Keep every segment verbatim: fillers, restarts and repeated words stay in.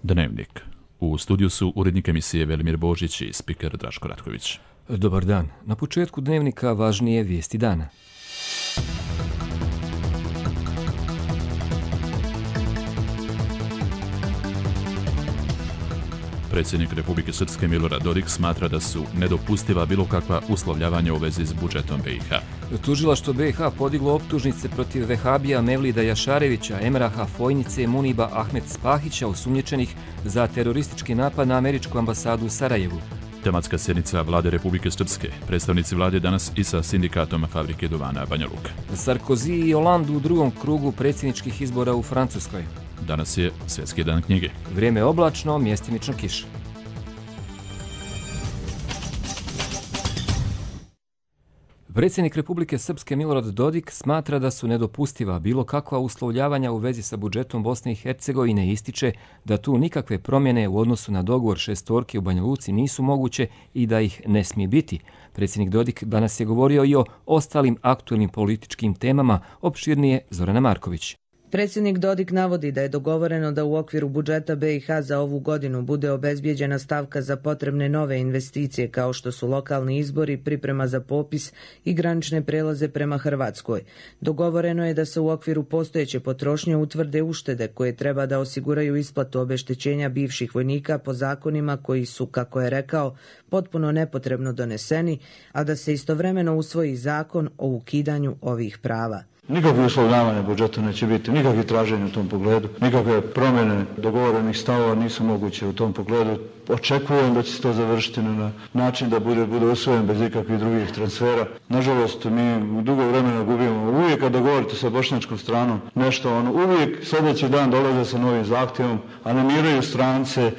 Dnevnik. U studiju su urednik emisije Velimir Božić i spiker Draško Ratković. Dobar dan. Na početku Dnevnika važnije vijesti dana. Predsjednik Republike Srpske Milorad Dodik smatra da su nedopustiva bilo kakva uslovljavanja u vezi s budžetom B i H. Tužilaštvo B i H podiglo optužnice protiv Vehabija Mevlida Jašarevića, Emraha Fojnice, Muniba Ahmed Spahića, osumnjičenih za teroristički napad na američku ambasadu u Sarajevu. Tematska sjednica Vlade Republike Srpske. Predstavnici vlade danas i sa sindikatom fabrike duvana Banja Luka. Sarkozy i Hollande u drugom krugu predsjedničkih izbora u Francuskoj. Danas je Svjetski dan knjige. Vrijeme je oblačno, mjestimično kiša. Predsjednik Republike Srpske Milorad Dodik smatra da su nedopustiva bilo kakva uslovljavanja u vezi sa budžetom Bosne i Hercegovine i ističe da tu nikakve promjene u odnosu na dogovor šestorke u Banja Luci nisu moguće i da ih ne smije biti. Predsjednik Dodik danas je govorio i o ostalim aktualnim političkim temama, opširnije Zorana Marković. Predsjednik Dodik navodi da je dogovoreno da u okviru budžeta B i H za ovu godinu bude obezbijeđena stavka za potrebne nove investicije kao što su lokalni izbori, priprema za popis i granične prelaze prema Hrvatskoj. Dogovoreno je da se u okviru postojeće potrošnje utvrde uštede koje treba da osiguraju isplatu obeštećenja bivših vojnika po zakonima koji su, kako je rekao, potpuno nepotrebno doneseni, a da se istovremeno usvoji zakon o ukidanju ovih prava. Nikakve uslovljavanja budžeta neće biti, nikakve traženja u tom pogledu, nikakve promjene dogovorenih stavova nisu moguće u tom pogledu. Očekujem da će se to završiti na način da bude, bude usvojen bez ikakvih drugih transfera. Nažalost, mi dugo vremena gubimo. Uvijek kad dogovorite sa bošnjačkom stranom nešto, ono, uvijek sljedeći dan dolaze sa novim zahtjevom, animiraju strance,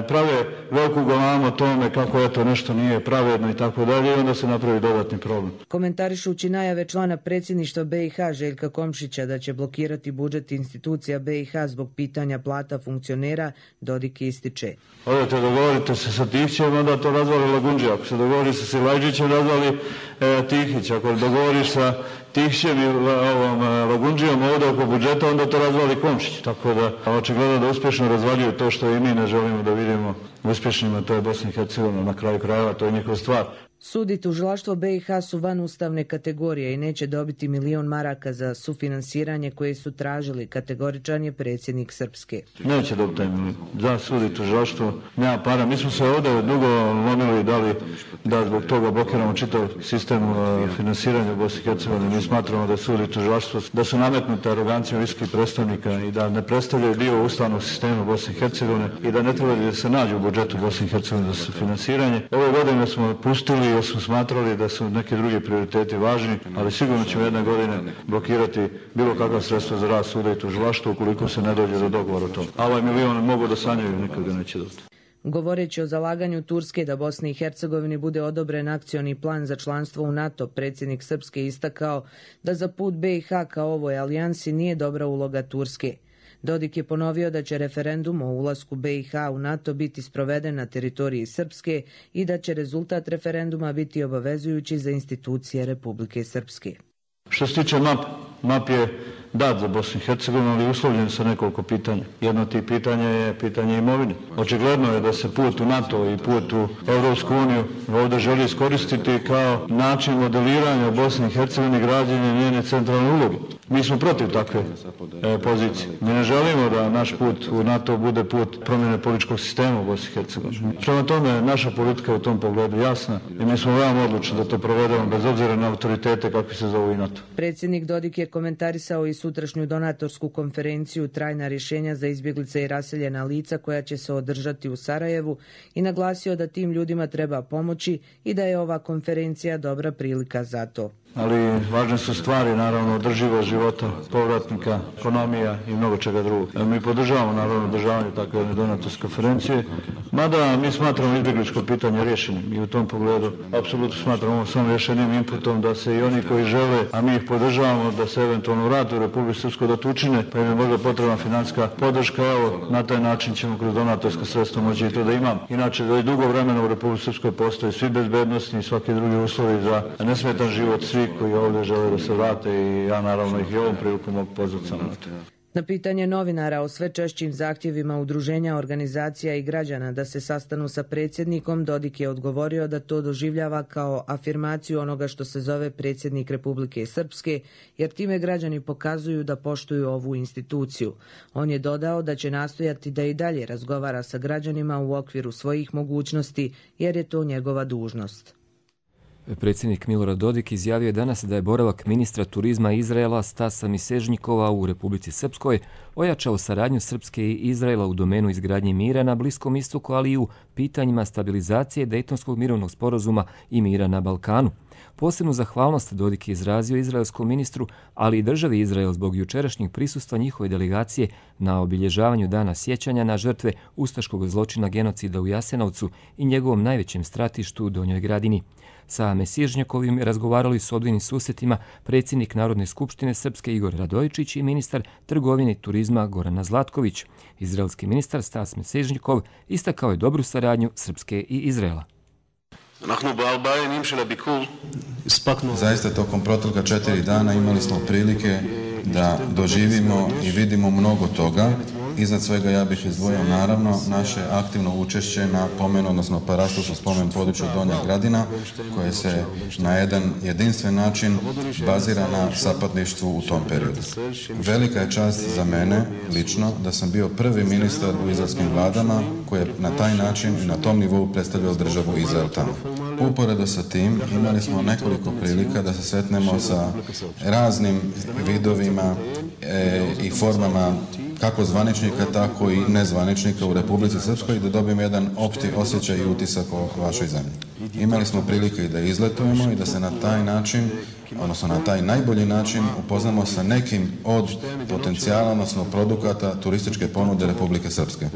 prave veliku galamu o tome kako eto nešto nije pravedno i tako dalje i onda se napravi dodatni problem. Komentarišući najave člana predsjedništva B i H Željka Komšića da će blokirati budžet institucija B i H zbog pitanja plata funkcionera, Dodik ističe. Odete, dogovorite se sa Tihićem, onda to razvali Lagundžija. Ako se dogovori sa Silajđićem, razvali e, Tihić. Ako dogovoriš sa Tihićem i ovom, Lagundžijom ovdje oko budžeta, onda to razvali Komšić. Tako da očigledno da uspješno razvaljuju to što i mi ne želimo da vidimo uspješnjima, to je Bosna i Hercegovina, na kraju krajeva, to je njihova stvar. Sud i tužilaštvo B i H su van ustavne kategorije i neće dobiti milion maraka za sufinansiranje koje su tražili, kategoričan je predsjednik Srpske. Neće dobiti taj milion. Za sud i tužilaštvo nema para. Mi smo se ovdje dugo lomili da li da zbog toga blokiramo čitav sistem finansiranja u Bosni i Hercegovini. Mi smatramo da sud i tužilaštvo da su nametnute arogancijom visokih predstavnika i da ne predstavljaju dio ustavnog sistema Bosne i Hercegovine i da ne treba da se nađu u budžetu Bosne i Hercegovine za finansiranje. Ove godine smo pustili jer smo smatrali da su neki drugi prioriteti važni, ali sigurno ćemo jedne godine blokirati bilo kakva sredstva za rad suda i tužilaštva ukoliko se ne dođe do dogovora o tom. A ovaj milion mogu da sanjaju, nikad ga neće dobiti. Govoreći o zalaganju Turske da Bosni i Hercegovini bude odobren akcioni plan za članstvo u NATO, predsjednik Srpske istakao da za put B i H kao ovoj alijansi nije dobra uloga Turske. Dodik je ponovio da će referendum o ulasku B i H u NATO biti sproveden na teritoriji Srpske i da će rezultat referenduma biti obavezujući za institucije Republike Srpske. Što se tiče map, map je dat za Bosnu i Hercegovinu, ali uslovljen sa nekoliko pitanja. Jedno od tih pitanja je pitanje imovine. Očigledno je da se put u NATO i put u Europsku uniju ovdje želi iskoristiti kao način modeliranja Bosne i Hercegovine i građenja njene centralne uloge. Mi smo protiv takve e, pozicije. Mi ne želimo da naš put u NATO bude put promjene političkog sistema u Bosni i Hercegovini. Prema tome, naša politika je u tom pogledu jasna i mi smo veoma odlučni da to provedemo bez obzira na autoritete kakvi se zovu i NATO. Predsjednik Dodik je komentarisao i sutrašnju donatorsku konferenciju Trajna rješenja za izbjeglice i raseljena lica koja će se održati u Sarajevu i naglasio da tim ljudima treba pomoći i da je ova konferencija dobra prilika za to. Ali važne su stvari, naravno, održivost života povratnika, ekonomija i mnogo čega drugog. Mi podržavamo, naravno, održavanje takve donatorske konferencije, mada mi smatramo izbjegličko pitanje rješenim i u tom pogledu apsolutno smatramo samo rješenim inputom da se i oni koji žele, a mi ih podržavamo, da se eventualno vrate u Republiku Srpsku da to učine, pa im je možda potrebna financijska podrška. Evo, na taj način ćemo kroz donatorska sredstva moći i to da imam. Inače, da i dugo vremena u Republiku Srpskoj postoje svi bezbednosni i svaki drugi uslovi za nesmetan život svi koji ovdje žele da se vrate i ja naravno ih i ovom priliku mogu pozvati samo na to. Na pitanje novinara o sve češćim zahtjevima udruženja, organizacija i građana da se sastanu sa predsjednikom, Dodik je odgovorio da to doživljava kao afirmaciju onoga što se zove predsjednik Republike Srpske, jer time građani pokazuju da poštuju ovu instituciju. On je dodao da će nastojati da i dalje razgovara sa građanima u okviru svojih mogućnosti, jer je to njegova dužnost. Predsjednik Milorad Dodik izjavio je danas da je boravak ministra turizma Izraela Stasa Misežnjikova u Republici Srpskoj ojačao saradnju Srpske i Izraela u domenu izgradnje mira na Bliskom istoku, ali i u pitanjima stabilizacije Dejtonskog mirovnog sporazuma i mira na Balkanu. Posebnu zahvalnost Dodik je izrazio izraelskom ministru, ali i državi Izrael zbog jučerašnjeg prisustva njihove delegacije na obilježavanju dana sjećanja na žrtve ustaškog zločina genocida u Jasenovcu i njegovom najvećem stratištu u Donjoj Gradini. Sa Mesižnjakovim razgovarali su odvojnim susjetima predsjednik Narodne skupštine Srpske Igor Radojičić i ministar trgovine i turizma Gorana Zlatković. Izraelski ministar Stas Mesižnjakov istakao je dobru saradnju Srpske i Izraela. Zaista tokom protekla četiri dana imali smo prilike da doživimo i vidimo mnogo toga. Iznad svega ja bih izdvojio naravno naše aktivno učešće na pomenu, odnosno parastovskom spomen području Donja Gradina, koje se na jedan jedinstven način bazira na sapatništvu u tom periodu. Velika je čast za mene lično da sam bio prvi ministar u izraelskim vladama koji je na taj način i na tom nivou predstavljao državu Izrael tamo. Uporedo sa tim imali smo nekoliko prilika da se sretnemo sa raznim vidovima e, i formama kako zvaničnika, tako i nezvaničnika u Republici Srpskoj, da dobijemo jedan opšti osjećaj i utisak o vašoj zemlji. Imali smo prilike i da izletujemo i da se na taj način, odnosno na taj najbolji način upoznamo sa nekim od potencijala, odnosno produkata turističke ponude Republike Srpske.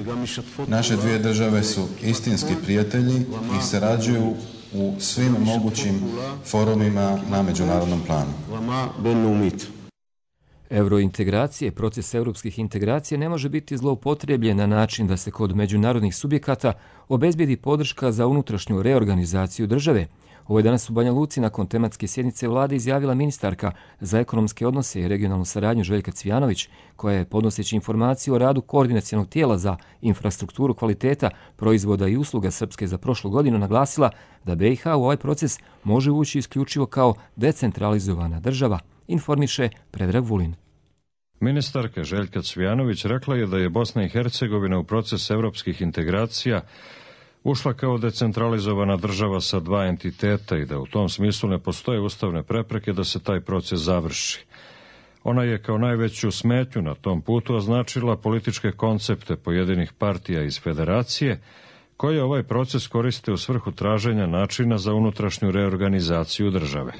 Naše dvije države su istinski prijatelji i sarađuju u svim mogućim forumima na međunarodnom planu. Eurointegracije, proces europskih integracija ne može biti zloupotrebljen na način da se kod međunarodnih subjekata obezbijedi podrška za unutrašnju reorganizaciju države. Ovo je danas u Banja Luci nakon tematske sjednice vlade izjavila ministarka za ekonomske odnose i regionalnu saradnju Željka Cvijanović, koja je podnoseći informaciju o radu koordinacionog tijela za infrastrukturu kvaliteta, proizvoda i usluga Srpske za prošlu godinu naglasila da B i H u ovaj proces može ući isključivo kao decentralizovana država, informiše Predrag Vulin. Ministarka Željka Cvijanović rekla je da je Bosna i Hercegovina u proces evropskih integracija ušla kao decentralizovana država sa dva entiteta i da u tom smislu ne postoje ustavne prepreke da se taj proces završi. Ona je kao najveću smetnju na tom putu označila političke koncepte pojedinih partija iz federacije, koje ovaj proces koriste u svrhu traženja načina za unutrašnju reorganizaciju države.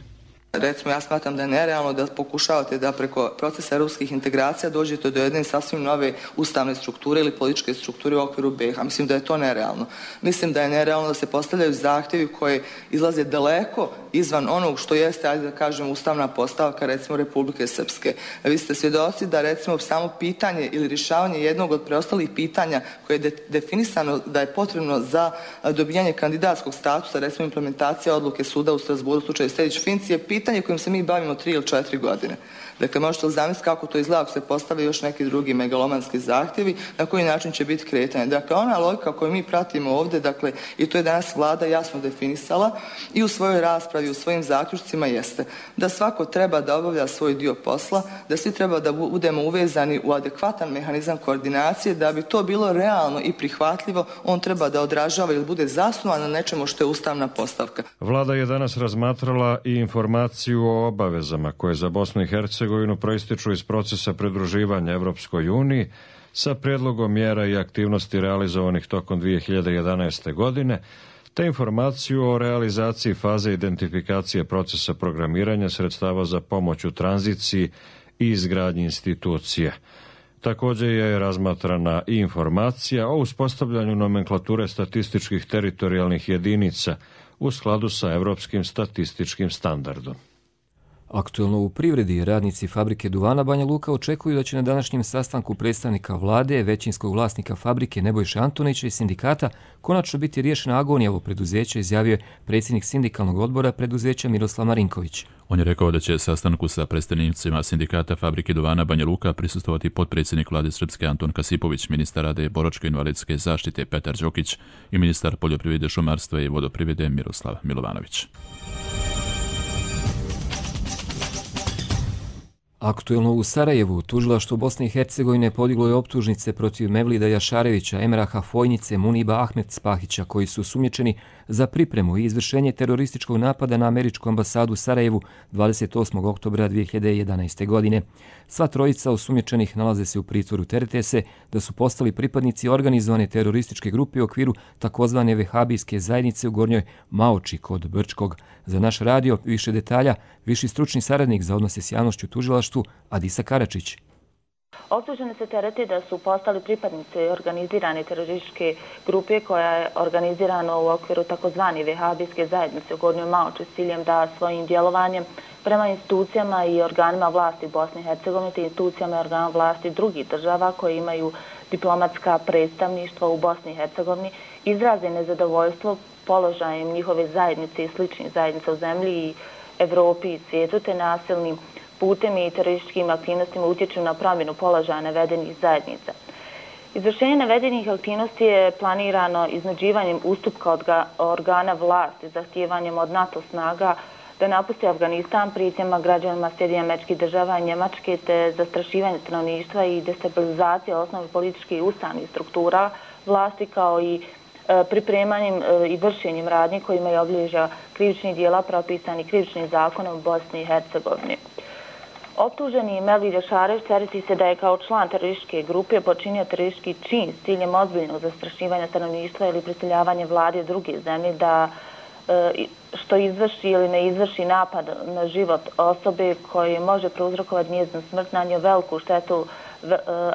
Recimo, ja smatram da je nerealno da pokušavate da preko procesa europskih integracija dođete do jedne sasvim nove ustavne strukture ili političke strukture u okviru B i H. Mislim da je to nerealno. Mislim da je nerealno da se postavljaju zahtjevi koji izlaze daleko izvan onog što jeste, ajde da kažem, ustavna postavka, recimo, Republike Srpske. Vi ste svjedoci da, recimo, samo pitanje ili rješavanje jednog od preostalih pitanja koje je de definisano da je potrebno za dobijanje kandidatskog statusa, recimo, implementacija odluke suda u Strasburu u slučaju Sejdić-Finci, je pitanje kojim se mi bavimo tri ili četiri godine. Dakle, možete li zamisliti kako to izgleda ako se postave još neki drugi megalomanski zahtjevi, na koji način će biti kretanje. Dakle, ona logika koju mi pratimo ovdje, dakle, i to je danas vlada jasno definisala i u svojoj raspravi, u svojim zaključcima jeste da svako treba da obavlja svoj dio posla, da svi treba da budemo uvezani u adekvatan mehanizam koordinacije, da bi to bilo realno i prihvatljivo, on treba da odražava ili bude zasnovan na nečemu što je ustavna postavka. Vlada je danas razmatrala i informaciju o obavezama koje za Bosnu i Hercegovinu proističu iz procesa pridruživanja Evropskoj uniji sa prijedlogom mjera i aktivnosti realizovanih tokom dvije hiljade jedanaeste. godine, te informaciju o realizaciji faze identifikacije procesa programiranja sredstava za pomoć u tranziciji i izgradnji institucije. Također je razmatrana i informacija o uspostavljanju nomenklature statističkih teritorijalnih jedinica u skladu sa evropskim statističkim standardom. Aktuelno u privredi radnici fabrike duvana Banja Luka očekuju da će na današnjem sastanku predstavnika vlade, većinskog vlasnika fabrike Nebojše Antonića i sindikata konačno biti riješena agonija ovog preduzeća, izjavio je predsjednik sindikalnog odbora preduzeća Miroslav Marinković. On je rekao da će sastanku sa predstavnicima sindikata fabrike duvana Banja Luka prisustvovati potpredsjednik vlade Srpske Anton Kasipović, ministar rada i boračko-invalidske zaštite Petar Đokić i ministar poljoprivrede, šumarstva i vodoprivrede Miroslav Milovanović. Aktuelno u Sarajevu, tužilaštvo Bosne i Hercegovine podiglo je optužnice protiv Mevlida Jašarevića, Emraha Fojnice, Muniba Ahmed Spahića, koji su sumnjičeni za pripremu i izvršenje terorističkog napada na američku ambasadu u Sarajevu dvadeset osmog oktobra dvije hiljade jedanaeste. godine. Sva trojica osumnjičenih nalaze se u pritvoru. Terete se da su postali pripadnici organizovane terorističke grupe u okviru takozvane vehabijske zajednice u Gornjoj Maoči kod Brčkog. Za naš radio više detalja, viši stručni saradnik za odnose s javnošću u tužilaštvu Adisa Karačić. Optuženi se terete da su postali pripadnici organizirane terorističke grupe koja je organizirana u okviru takozvane vehabijske zajednice u Gornjoj Maoči s ciljem da svojim djelovanjem prema institucijama i organima vlasti Bosne i Hercegovine te institucijama i organima vlasti drugih država koje imaju diplomatska predstavništva u Bosni i Hercegovini izraze nezadovoljstvo položajem njihove zajednice i sličnih zajednica u zemlji i Evropi i svijetu te nasilnim putem i terorističkim aktivnostima utječu na promjenu položaja navedenih zajednica. Izvršenje navedenih aktivnosti je planirano iznuđivanjem ustupka organa vlasti, zahtijevanjem od NATO snaga da napusti Afganistan, prijetnjama građanima Sjedinjenih Američkih Država i Njemačke te zastrašivanje stanovništva i destabilizacija osnovnih političkih i ustavnih struktura vlasti kao i pripremanjem i vršenjem radnji kojima je obilježja krivičnih dijela propisani krivičnim zakonom u Bosni i Hercegovini. Optuženi Mevlid Jašarević tereti se da je kao član terorističke grupe počinio teroristički čin s ciljem ozbiljnog zastrašivanja stanovništva ili prisiljavanje vlade druge zemlje da što izvrši ili ne izvrši napad na život osobe koji može prouzrokovati njezinu smrt, nanio veliku štetu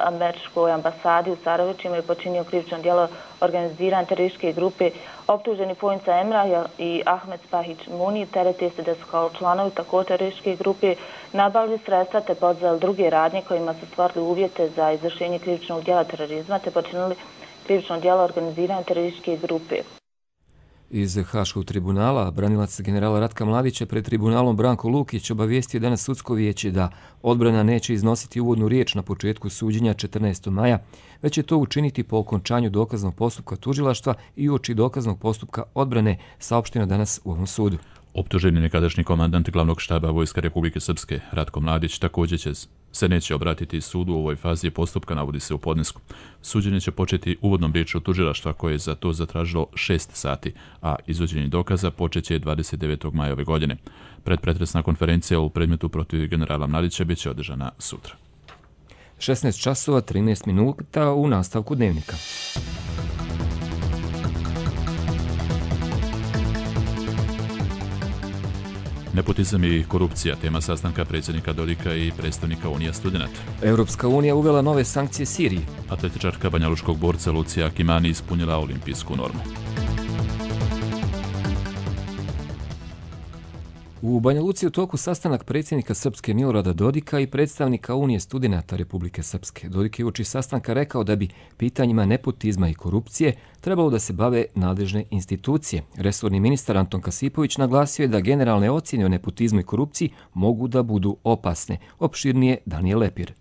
američkoj ambasadi u Sarajevu, čime je počinio krivično djelo organizirane terorističke grupe. Optuženi Fojnica Emrah i Ahmed Spahić Muni terete se da su kao članovi tako terorističke grupe nabavili sredstva te podzeli druge radnje kojima su stvorili uvjete za izvršenje krivičnog djela terorizma te počinili krivično djelo organizirane terorističke grupe. Iz Haškog tribunala, branilac generala Ratka Mladića pred tribunalom Branko Lukić obavijestio danas sudsko vijeće da odbrana neće iznositi uvodnu riječ na početku suđenja četrnaestog maja, već će to učiniti po okončanju dokaznog postupka tužilaštva i uoči dokaznog postupka odbrane, saopšteno danas u ovom sudu. Optuženi nekadašnji komandant glavnog štaba Vojska Republike Srpske, Ratko Mladić, također će se neće obratiti sudu u ovoj fazi postupka, navodi se u podnesku. Suđenje će početi uvodnom riječju tužilaštva koje je za to zatražilo šest sati, a izvođenje dokaza počeće dvadeset devetog maja ove godine. Predpretresna konferencija u predmetu protiv generala Mladića bit će održana sutra. šesnaest časova trinaest minuta u nastavku dnevnika. Nepotizam i korupcija, tema sastanka predsjednika Dodika i predstavnika Unija studenata. Europska unija uvela nove sankcije Siriji. Atletičarka banjalučkog borca Lucija Akimani ispunila olimpijsku normu. U Banja Luci u toku sastanak predsjednika Srpske Milorada Dodika i predstavnika Unije studenata Republike Srpske. Dodik je uoči sastanka rekao da bi pitanjima nepotizma i korupcije trebalo da se bave nadležne institucije. Resorni ministar Anton Kasipović naglasio je da generalne ocjene o nepotizmu i korupciji mogu da budu opasne. Opširnije Danijel Lepir.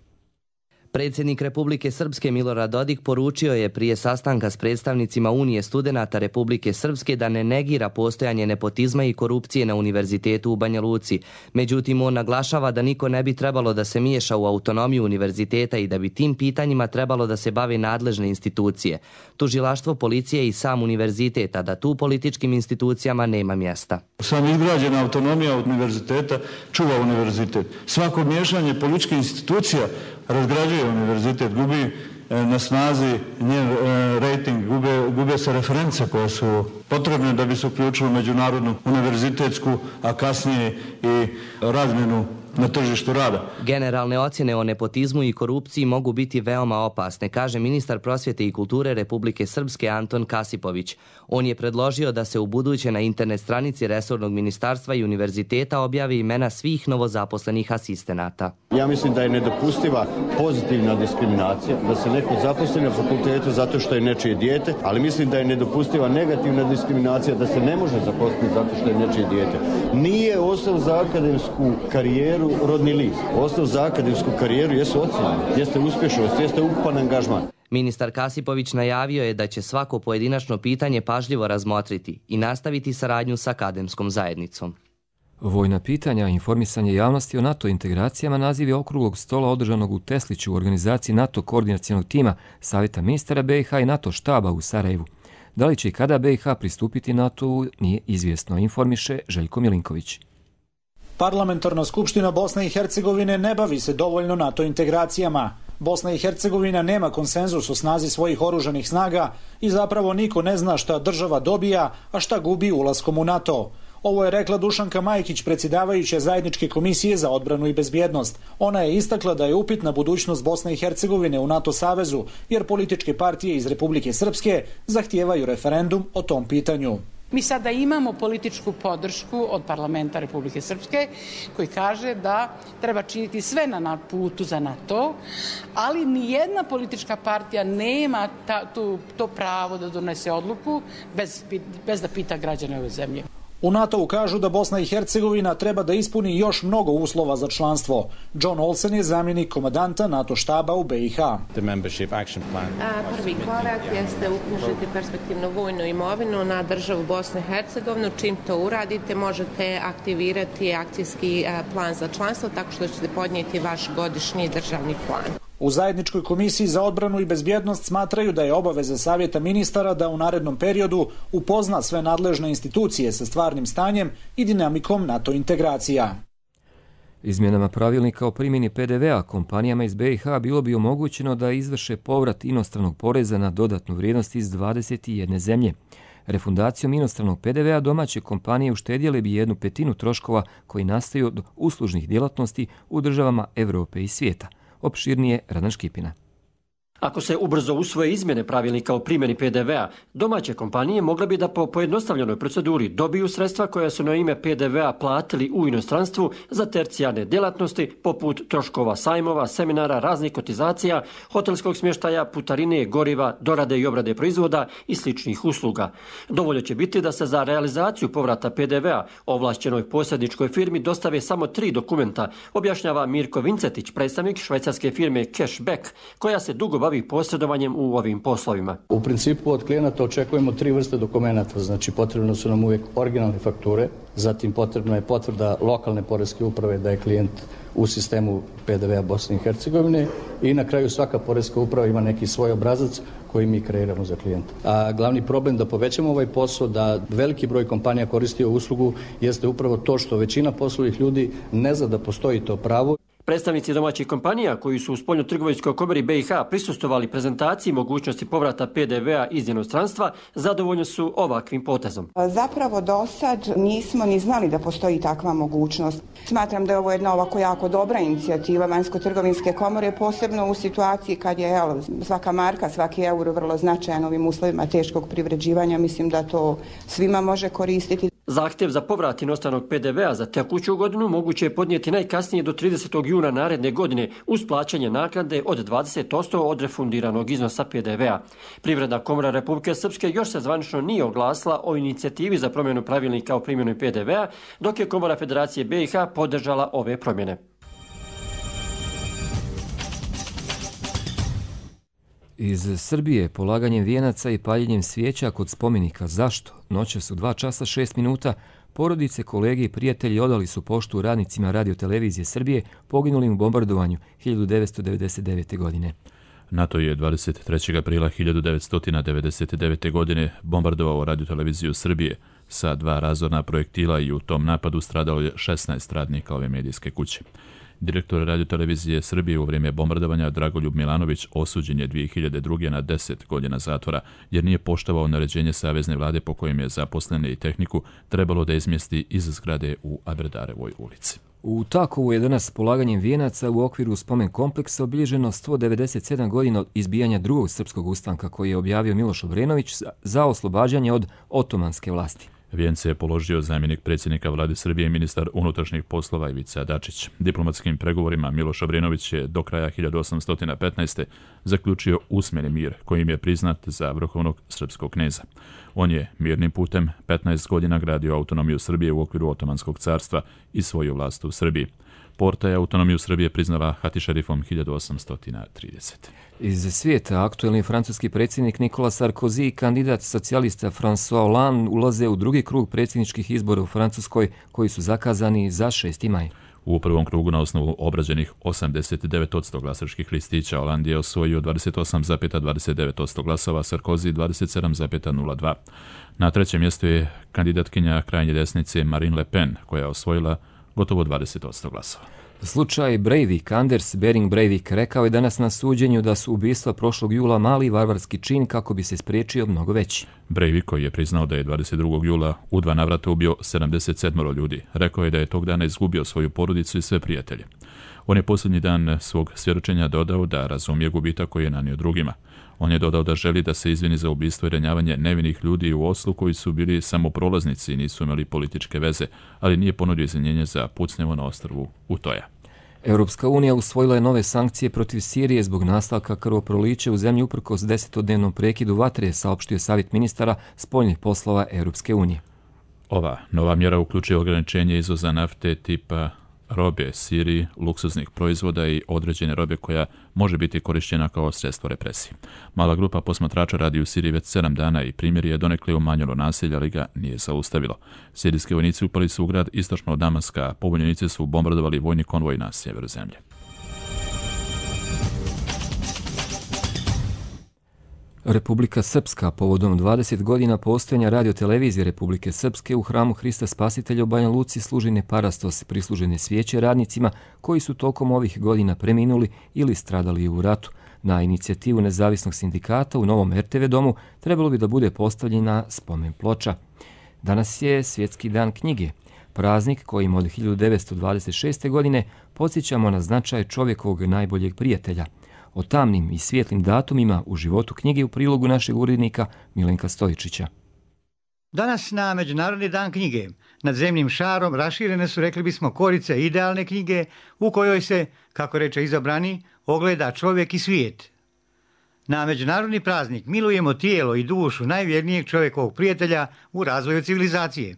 Predsjednik Republike Srpske Milorad Dodik poručio je prije sastanka s predstavnicima Unije studenata Republike Srpske da ne negira postojanje nepotizma i korupcije na univerzitetu u Banja Luci. Međutim, on naglašava da niko ne bi trebalo da se miješa u autonomiju univerziteta i da bi tim pitanjima trebalo da se bave nadležne institucije. Tužilaštvo, policije i sam univerzitet, a da tu političkim institucijama nema mjesta. Sam izgrađena autonomija univerziteta čuva univerzitet. Svako miješanje političkih institucija razgrađuje univerzitet, gubi na snazi njen rating, gube, gube se reference koje su potrebne da bi se uključilo međunarodnu univerzitetsku, a kasnije i razmjenu na tržištu rada. Generalne ocjene o nepotizmu i korupciji mogu biti veoma opasne, kaže ministar prosvjete i kulture Republike Srpske Anton Kasipović. On je predložio da se u buduće na internet stranici resornog ministarstva i univerziteta objavi imena svih novozaposlenih asistenata. Ja mislim da je nedopustiva pozitivna diskriminacija, da se neko zaposli na fakultetu zato što je nečije dijete, ali mislim da je nedopustiva negativna diskriminacija, da se ne može zaposliti zato što je nečije dijete. Nije osnov za akademsku karijeru rodni list. Osnov za akademsku karijeru jesu ocjene, jeste uspješnost, jeste ukupan angažman. Ministar Kasipović najavio je da će svako pojedinačno pitanje pažljivo razmotriti i nastaviti saradnju sa akademskom zajednicom. Vojna pitanja i informisanje javnosti o NATO integracijama naziv je okruglog stola održanog u Tesliću u organizaciji NATO koordinacionog tima Savjeta ministara B i H i NATO štaba u Sarajevu. Da li će i kada B i H pristupiti NATO-u nije izvjesno, informiše Željko Milinković. Parlamentarna skupština Bosne i Hercegovine ne bavi se dovoljno NATO integracijama. Bosna i Hercegovina nema konsenzus o snazi svojih oružanih snaga i zapravo niko ne zna šta država dobija, a šta gubi ulaskom u NATO. Ovo je rekla Dušanka Majkić, predsjedavajuća zajedničke komisije za odbranu i bezbjednost. Ona je istakla da je upitna budućnost Bosne i Hercegovine u NATO savezu, jer političke partije iz Republike Srpske zahtijevaju referendum o tom pitanju. Mi sada imamo političku podršku od parlamenta Republike Srpske koji kaže da treba činiti sve na putu za NATO, ali nijedna politička partija nema ta, tu, to pravo da donese odluku bez, bez da pita građane ove zemlje. U NATO-u kažu da Bosna i Hercegovina treba da ispuni još mnogo uslova za članstvo. John Olsen je zamjenik komandanta NATO štaba u B i H. Prvi korak jeste uknjižiti perspektivnu vojnu imovinu na državu Bosne i Hercegovine. Čim to uradite, možete aktivirati akcijski plan za članstvo tako što ćete podnijeti vaš godišnji državni plan. U zajedničkoj komisiji za odbranu i bezbjednost smatraju da je obaveza Savjeta ministara da u narednom periodu upozna sve nadležne institucije sa stvarnim stanjem i dinamikom NATO integracija. Izmjenama pravilnika o primjeni P D V-a kompanijama iz B i H bilo bi omogućeno da izvrše povrat inostranog poreza na dodatnu vrijednost iz dvadeset jedne zemlje. Refundacijom inostranog P D V-a domaće kompanije uštedjele bi jednu petinu troškova koji nastaju od uslužnih djelatnosti u državama Europe i svijeta. Opširnije Radan Škipina. Ako se ubrzo usvoje izmjene pravilnika o primjeni P D V-a, domaće kompanije mogle bi da po pojednostavljenoj proceduri dobiju sredstva koja su na ime P D V-a platili u inostranstvu za tercijarne djelatnosti poput troškova sajmova, seminara, raznih kotizacija, hotelskog smještaja, putarine, goriva, dorade i obrade proizvoda i sličnih usluga. Dovoljno će biti da se za realizaciju povrata P D V-a ovlašćenoj posredničkoj firmi dostave samo tri dokumenta, objašnjava Mirko Vincetić, predstavnik švajcarske firme Cashback, koja se dugo bavi posredovanjem u ovim poslovima. U principu od klijenata očekujemo tri vrste dokumenata, znači potrebno su nam uvijek originalne fakture, zatim potrebna je potvrda lokalne poreske uprave da je klijent u sistemu P D V-a Bosne i Hercegovine i na kraju svaka poreska uprava ima neki svoj obrazac koji mi kreiramo za klijenta. A glavni problem da povećamo ovaj posao, da veliki broj kompanija koristi ovu uslugu, jeste upravo to što većina poslovnih ljudi ne zna da postoji to pravo. Predstavnici domaćih kompanija koji su u spoljno-trgovinskoj komori B i H prisustvovali prezentaciji mogućnosti povrata P D V-a iz inostranstva, zadovoljni su ovakvim potezom. Zapravo do sad nismo ni znali da postoji takva mogućnost. Smatram da je ovo jedna ovako jako dobra inicijativa Vanjsko-trgovinske komore, posebno u situaciji kad je jel, svaka marka, svaki euro vrlo značajan ovim uslovima teškog privređivanja. Mislim da to svima može koristiti. Zahtjev za povrat inostranog P D V-a za tekuću godinu moguće je podnijeti najkasnije do tridesetog juna naredne godine uz plaćanje naknade od dvadeset posto od refundiranog iznosa P D V-a. Privredna komora Republike Srpske još se zvanično nije oglasila o inicijativi za promjenu pravilnika o primjeni P D V-a, dok je Komora Federacije B i H podržala ove promjene. Iz Srbije polaganjem vijenaca i paljenjem svijeća kod spomenika Zašto? Noćas u dva časa šest minuta porodice, kolege i prijatelji odali su poštu radnicima radiotelevizije Srbije poginulim u bombardovanju hiljadu devetsto devedeset devete. godine. NATO je dvadeset trećeg aprila hiljadu devetsto devedeset devete. godine bombardovao radioteleviziju Srbije sa dva razorna projektila i u tom napadu stradalo je šesnaest radnika ove medijske kuće. Direktor radiotelevizije Srbije u vrijeme bombardovanja Dragoljub Milanović osuđen je dvije hiljade druge. na deset godina zatvora jer nije poštovao naređenje savezne vlade po kojem je zaposlene i tehniku trebalo da izmjesti iz zgrade u Aberdarevoj ulici. U Takovu je danas polaganjem vijenaca u okviru spomen kompleksa obilježeno sto devedeset sedam godina od izbijanja drugog srpskog ustanka koji je objavio Miloš Obrenović za oslobađanje od otomanske vlasti. Vijence je položio zamjenik predsjednika vlade Srbije i ministar unutrašnjih poslova Ivica Dačić. Diplomatskim pregovorima Miloš Obrenović je do kraja hiljadu osamsto petnaeste. zaključio usmeni mir kojim je priznat za vrhovnog srpskog kneza. On je mirnim putem petnaest godina gradio autonomiju Srbije u okviru Otomanskog carstva i svoju vlast u Srbiji. Porta je autonomiju Srbije priznala Hatišerifom hiljadu osamsto tridesete. Iz svijeta aktuelni francuski predsjednik Nicolas Sarkozy i kandidat socijalista François Hollande ulaze u drugi krug predsjedničkih izbora u Francuskoj koji su zakazani za šesti maj. U prvom krugu na osnovu obrađenih osamdeset devet posto glasačkih listića Hollande je osvojio dvadeset osam zarez dvadeset devet posto glasova, Sarkozy dvadeset sedam zarez nula dva. Na trećem mjestu je kandidatkinja krajnje desnice Marine Le Pen koja je osvojila gotovo dvadeset posto glasova. Slučaj Breivik, Anders Behring Breivik, rekao je danas na suđenju da su ubistva prošlog jula mali varvarski čin kako bi se spriječio mnogo veći. Breivik, koji je priznao da je dvadeset drugog jula u dva navrata ubio sedamdeset sedam ljudi, rekao je da je tog dana izgubio svoju porodicu i sve prijatelje. On je posljednji dan svog svjedočenja dodao da razumije gubitak koji je nanio drugima. On je dodao da želi da se izvini za ubistvo i ranjavanje nevinih ljudi u Oslu koji su bili samo prolaznici i nisu imali političke veze, ali nije ponudio izvinjenje za pucnjevo na ostrvu Utoja. Europska unija usvojila je nove sankcije protiv Sirije zbog nastavka krvoprolića u zemlji uprkos desetodnevnom prekidu vatre, saopštio savjet ministara spoljnih poslova Europske unije. Ova nova mjera uključuje ograničenje izvoza nafte tipa robe Siriji, luksuznih proizvoda i određene robe koja može biti korišćena kao sredstvo represije. Mala grupa posmatrača radi u Siriji već sedam dana i primjer je donekle umanjilo nasilje, ali ga nije zaustavilo. Sirijski vojnici upali su u grad istočno od Damaska, a pobunjenici su bombardovali vojni konvoj na sjeveru zemlje. Republika Srpska povodom dvadeset godina postojanja radiotelevizije Republike Srpske u hramu Hrista Spasitelja u Banja Luci služi neparastos prislužene svijeće radnicima koji su tokom ovih godina preminuli ili stradali u ratu. Na inicijativu nezavisnog sindikata u novom er te ve domu trebalo bi da bude postavljena spomen ploča. Danas je Svjetski dan knjige, praznik kojim od hiljadu devetsto dvadeset šeste. godine podsjećamo na značaj čovjekovog najboljeg prijatelja. O tamnim i svijetlim datumima u životu knjige u prilogu našeg urednika Milenka Stojičića. Danas na Međunarodni dan knjige nad zemljim šarom raširene su, rekli bismo, korice idealne knjige u kojoj se, kako reče izabrani, ogleda čovjek i svijet. Na međunarodni praznik milujemo tijelo i dušu najvjernijeg čovjekovog prijatelja u razvoju civilizacije.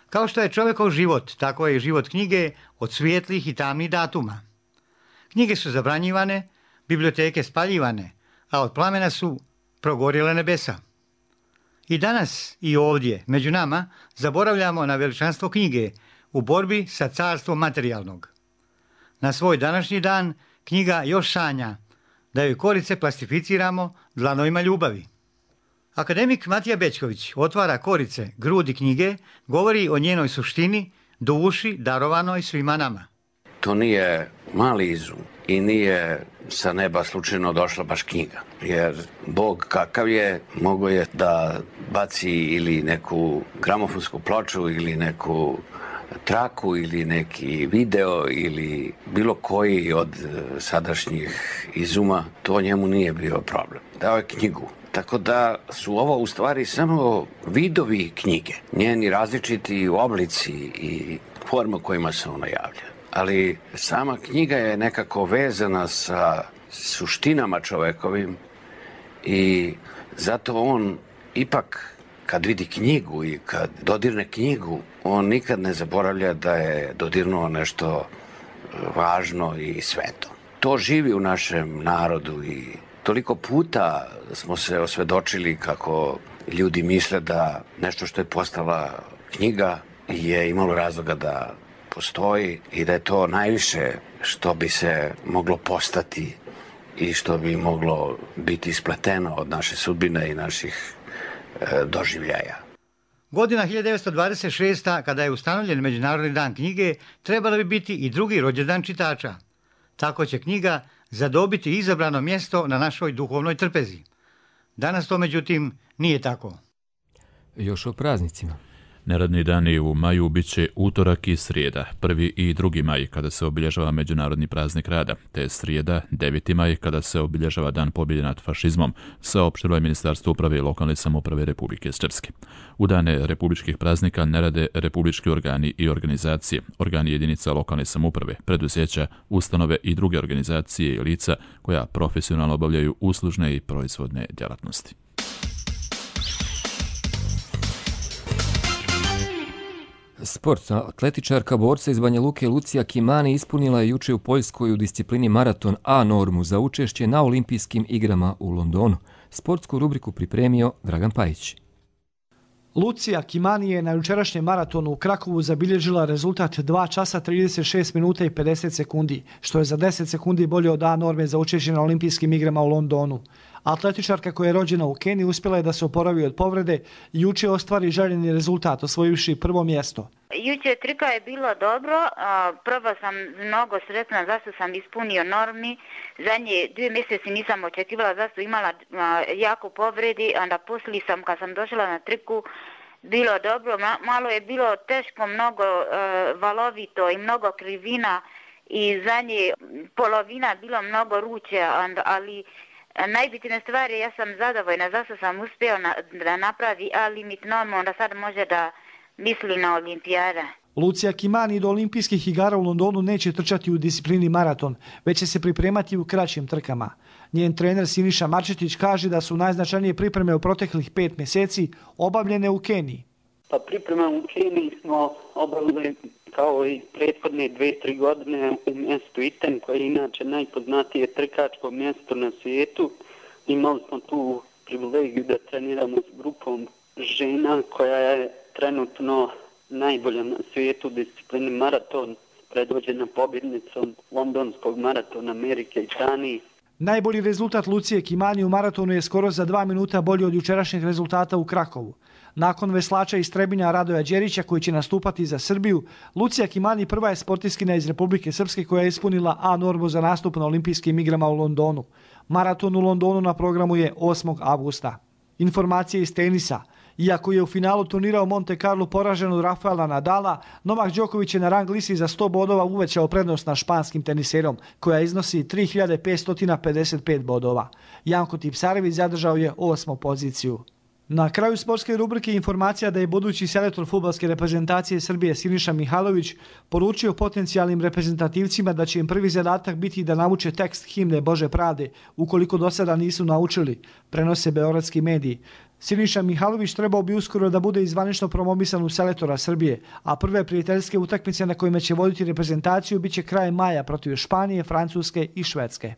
Kao što je čovjekov život, tako je i život knjige od svijetlih i tamnih datuma. Knjige su zabranjivane, biblioteke spaljivane, a od plamena su progorjela nebesa. I danas i ovdje, među nama, zaboravljamo na veličanstvo knjige u borbi sa carstvom materijalnog. Na svoj današnji dan knjiga još sanja da joj korice plastificiramo dlanovima ljubavi. Akademik Matija Bećković otvara korice grudi knjige, govori o njenoj suštini, duši darovanoj svima nama. To nije mali izum i nije sa neba slučajno došla baš knjiga. Jer Bog kakav je, mogo je da baci ili neku gramofonsku ploču ili neku traku ili neki video ili bilo koji od sadašnjih izuma, to njemu nije bio problem. Dao je knjigu. Tako da su ovo u stvari samo vidovi knjige, njeni različiti oblici i forma kojima se ona javlja. Ali sama knjiga je nekako vezana sa suštinama čovekovim i zato on ipak kad vidi knjigu i kad dodirne knjigu, on nikad ne zaboravlja da je dodirnuo nešto važno i sveto. To živi u našem narodu i toliko puta smo se osvedočili kako ljudi misle da nešto što je postala knjiga je imalo razloga da postoji i da je to najviše što bi se moglo postati i što bi moglo biti ispleteno od naše sudbine i naših e, doživljaja. Godina hiljadu devetsto dvadeset šesta. kada je ustanovljen Međunarodni dan knjige, trebala bi biti i drugi rođendan čitača. Tako će knjiga zadobiti izabrano mjesto na našoj duhovnoj trpezi. Danas to, međutim, nije tako. Još o praznicima. Neradni dani u maju bit će utorak i srijeda, prvi i drugi maj kada se obilježava Međunarodni praznik rada, te srijeda, deveti maj kada se obilježava Dan pobjede nad fašizmom, saopštilo je Ministarstvo uprave i lokalne samouprave Republike Srpske. U dane republičkih praznika ne rade republički organi i organizacije, organi jedinica lokalne samouprave, preduzeća, ustanove i druge organizacije i lica koja profesionalno obavljaju uslužne i proizvodne djelatnosti. Sport. Atletičarka borca iz Banja Luke Lucija Kimani ispunila je juče u Poljskoj u disciplini maraton A normu za učešće na olimpijskim igrama u Londonu. Sportsku rubriku pripremio Dragan Pajić. Lucija Kimani je na jučerašnjem maratonu u Krakovu zabilježila rezultat dva časa trideset šest minuta i pedeset sekundi, što je za deset sekundi bolje od A norme za učešće na olimpijskim igrama u Londonu. Atletičarka koja je rođena u Keniji uspjela je da se oporavi od povrede i juče ostvari željeni rezultat, osvojivši prvo mjesto. Juče trka je bilo dobro, prvo sam mnogo sretna zašto sam ispunio normi, zadnje dvije mjeseci nisam očekivala zašto imala jako povredi, onda poslije sam kad sam došla na trku bilo dobro, malo je bilo teško, mnogo valovito i mnogo krivina i zadnje polovina bilo mnogo ruče, ali najbitnija stvar je ja sam zadovoljna zašto sam uspio na, da napravi A limit normu, onda sad može da misli na olimpijada. Lucija Kimani do olimpijskih igara u Londonu neće trčati u disciplini maraton, već će se pripremati u kraćim trkama. Njen trener Siniša Marčetić kaže da su najznačajnije pripreme u proteklih pet mjeseci obavljene u Keniji. Pa priprema u Keniji smo obavili kao i prethodne dve, tri godine u mjestu Iten, koje je inače najpoznatije trkačko mjesto na svijetu. Imali smo tu privilegiju da treniramo s grupom žena koja je trenutno najbolja na svijetu u disciplini maraton, predvođena pobjednicom londonskog maratona Amerike i Danije. Najbolji rezultat Lucije Kimani u maratonu je skoro za dva minuta bolji od jučerašnjeg rezultata u Krakovu. Nakon veslača iz Trebinja Radoja Đerića koji će nastupati za Srbiju, Lucija Kimani prva je sportiskinja iz Republike Srpske koja je ispunila A normu za nastup na olimpijskim igrama u Londonu. Maraton u Londonu na programu je osmog avgusta. Informacije iz tenisa. Iako je u finalu turnira u Monte Carlo poražen od Rafaela Nadala, Novak Đoković je na rang listi za sto bodova uvećao prednost nad španskim teniserom, koja iznosi tri hiljade petsto pedeset pet bodova. Janko Tipsarević zadržao je osmu poziciju. Na kraju sportske rubrike informacija da je budući selektor fudbalske reprezentacije Srbije Siniša Mihajlović poručio potencijalnim reprezentativcima da će im prvi zadatak biti da nauče tekst himne Bože pravde, ukoliko do sada nisu naučili, prenose beogradski mediji. Siniša Mihajlović trebao bi uskoro da bude izvanično promovisan u selektora Srbije, a prve prijateljske utakmice na kojima će voditi reprezentaciju biće krajem maja protiv Španije, Francuske i Švedske.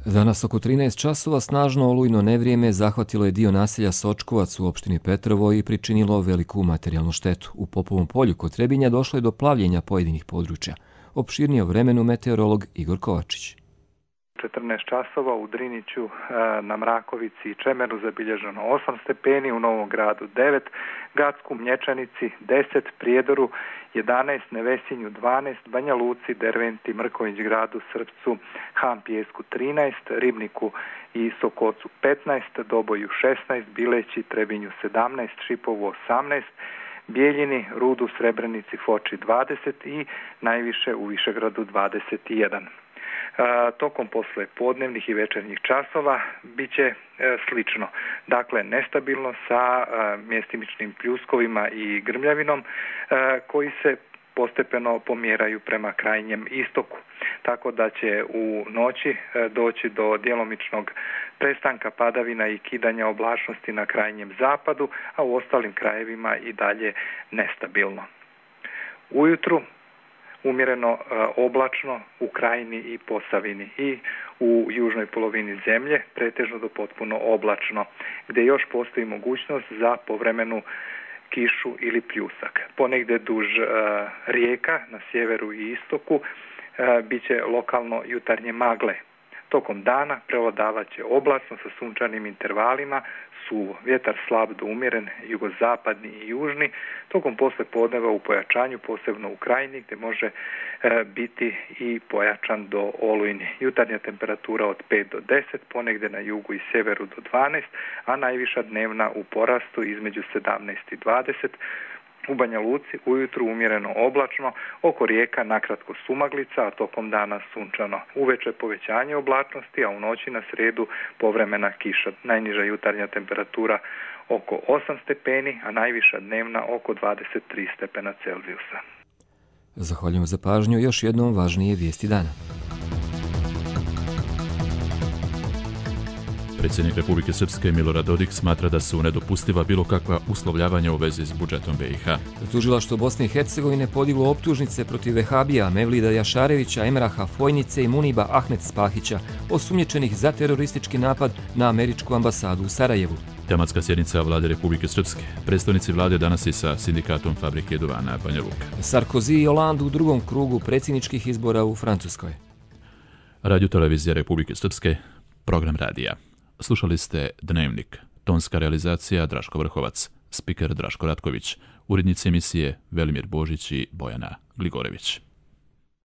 Danas oko trinaest časova snažno olujno nevrijeme zahvatilo je dio naselja Sočkovac u opštini Petrovo i pričinilo veliku materijalnu štetu. U Popovom polju kod Trebinja došlo je do plavljenja pojedinih područja. Opširnije o vremenu meteorolog Igor Kovačić. četrnaest časova u Driniću, na Mrakovici i Čemeru zabilježeno osam stepeni, u Novom Gradu devet, Gacku, Mlječanici deset, Prijedoru jedanaest, Nevesinju dvanaest, Banja Luci, Derventi, Mrković Gradu, Srpcu, Han Pijesku trinaest, Ribniku i Sokocu petnaest, Doboju šesnaest, Bileći, Trebinju sedamnaest, Šipovu osamnaest, Bijeljini, Rudu, Srebrenici, Foči dvadeset i najviše u Višegradu dvadeset jedan. Tokom posle podnevnih i večernjih časova bit će slično. Dakle, nestabilno sa mjestimičnim pljuskovima i grmljavinom koji se postepeno pomjeraju prema krajnjem istoku. Tako da će u noći doći do djelomičnog prestanka padavina i kidanja oblačnosti na krajnjem zapadu, a u ostalim krajevima i dalje nestabilno. Ujutru umjereno oblačno u Krajini i Posavini i u južnoj polovini zemlje, pretežno do potpuno oblačno, gdje još postoji mogućnost za povremenu kišu ili pljusak. Ponegdje duž rijeka na sjeveru i istoku bit će lokalno jutarnje magle. Tokom dana prevladavat će oblačno sa sunčanim intervalima, suvo. Vjetar slab do umjeren, jugozapadni i južni. Tokom posle podneva u pojačanju, posebno u krajini, gdje može e, biti i pojačan do olujni. Jutarnja temperatura od pet do deset, ponegdje na jugu i sjeveru do dvanaest, a najviša dnevna u porastu između sedamnaest i dvadeset. U Banja Luci ujutru umjereno oblačno, oko rijeka nakratko sumaglica, a tokom dana sunčano. Uveče povećanje oblačnosti, a u noći na sredu povremena kiša. Najniža jutarnja temperatura oko osam stepeni, a najviša dnevna oko dvadeset tri stepena Celzijusa. Zahvaljujem za pažnju. Još jednom važnije vijesti dana. Predsjednik Republike Srpske Milorad Dodik smatra da su nedopustiva bilo kakva uslovljavanja u vezi s budžetom B i H. Tužilaštvo Bosne i Hercegovine podiglo optužnice protiv vehabija Mevlida Jašarevića, Emraha Fojnice i Muniba Ahmet Spahića, osumnjičenih za teroristički napad na američku ambasadu u Sarajevu. Tematska sjednica Vlade Republike Srpske. Predstavnici vlade danas i sa sindikatom fabrike duvana Banja Luka. Sarkozy i Hollande u drugom krugu predsjedničkih izbora u Francuskoj. Radio Televizija Republike Srpske, program radija. Slušali ste Dnevnik, tonska realizacija Draško Vrhovac, spiker Draško Ratković, urednici emisije Velimir Božić i Bojana Gligorević.